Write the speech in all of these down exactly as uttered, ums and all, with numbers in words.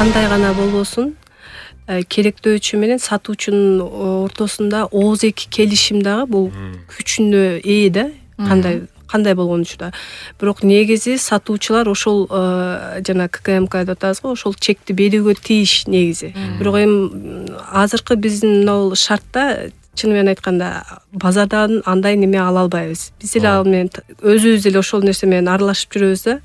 кандай гана болбосун керектөөчү менен сатуучунун ортосунда ооз эки келишим дагы бул күчүнө ээ да, кандай кандай болгонучу да. Бирок негизи сатуучулар ошол жана ка ка эм ка деп атабыз го, ошол чекти берүүгө тийиш негизи. Бирок эми азыркы биздин мына шартта чын менен айтканда базардан андай неме ала албайбыз. Биз эле ал менен өзүбүз эле ошол нерсе менен аралашып жүрөбүз да.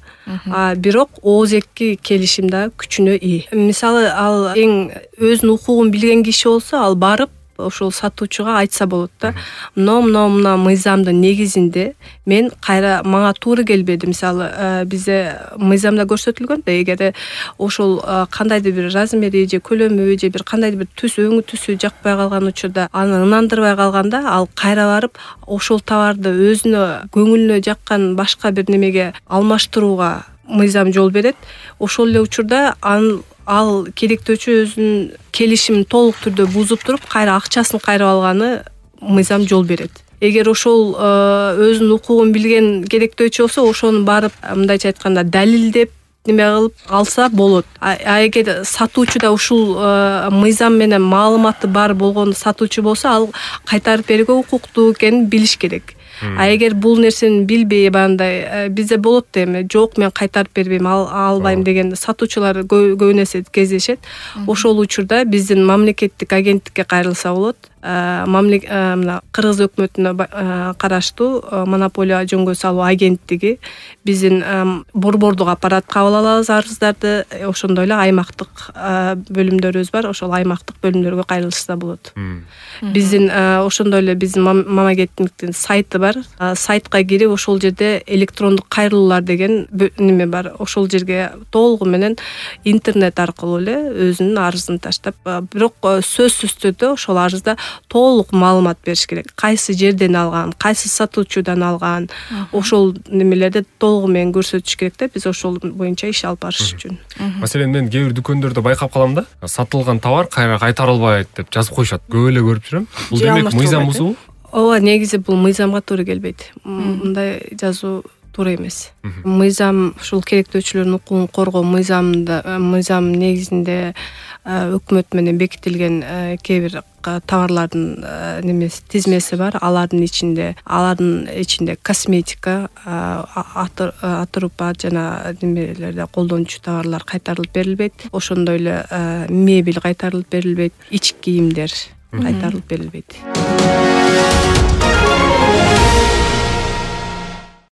А бирок ооз эки келишим да күчүнө ээ. Мисалы ал эң өзүнүн укугун билген киши болсо, ал барып ошол сатуучуга айтса болот да. Мына мына мыйзамдын негизинде мен кайра мага туура келбеди. Мисалы бизде мыйзамда көрсөтүлгөн да, эгер ошол кандайдыр бир размери же көлөмү же бир кандайдыр бир түс өңү түсү жакпай калган учурда, аны ынандырбай калганда, ал кайра барып ошол товарды өзүнө көңүлүнө жаккан башка бир немеге алмаштырууга мыйзам жол берет. Ошол эле учурда аны ал керектөөчү өзүнүн келишимин толук түрдө бузуп туруп, кайра акчасын кайрып алганы мыйзам жол берет. Эгер ошол өзүнүн укугун билген керектөөчү болсо, ошону барып мындайча айтканда далилдеп неме кылып алса болот. А эгер сатуучу да ушул мыйзам менен маалыматы бар болгон сатуучу болсо, ал кайтарып берүүгө укуктуу экенин билиш керек. А эгер бул нерсени билбей, бандай бизде болот да, эми жок мен кайтарып бербейм, албайм деген сатуучулар көбүн эсе кездешет. Ошол учурда биздин мамлекеттик агенттикке кайрылса болот. Мына Кыргыз өкмөтүнө караштуу монополия жөнгө салуу агенттиги биздин борбордук аппарат кабыл алабыз арыздарды. Ошондой эле аймактык бөлүмдөрүбүз бар, ошол аймактык бөлүмдөргө кайрылышса болот. Биздин ошондой эле биздин мамлекеттиктин сайты бар. Сайтка кирип, ошол жерде электрондук кайрылуулар деген неме бар. Ошол жерге толугу менен интернет аркылуу эле өзүнүн арызын таштап, бирок сөзсүз түрдө ошол арызда толук маалымат бериш керек. Кайсы жерден алган, кайсы сатуучудан алган, ошол немелерди толугу менен көрсөтүш керек да, биз ошол боюнча иш алып барыш үчүн. Маселен, мен кээ бир дүкөндөрдө байкап калам да, сатылган товар кайра кайтарылбайт деп жазып коюшат. Көп эле көрүп жүрөм. Бул демек мыйзам бузуу? Ооба, негизи бул мыйзамга туура келбейт. Мындай жазуу туура эмес. Мыйзам ушул керектөөчүлөрдүн укугун коргоо мыйзамында, мыйзам негизинде өкмөт менен бекитилген кээ бир товарлардын немеси тизмеси бар. Алардын ичинде, алардын ичинде косметика, атырупа жана немелерде колдончу товарлар кайтарылып берилбейт. Ошондой эле мебель кайтарылып берилбейт, ички кийимдер кайтарылып берилбейт.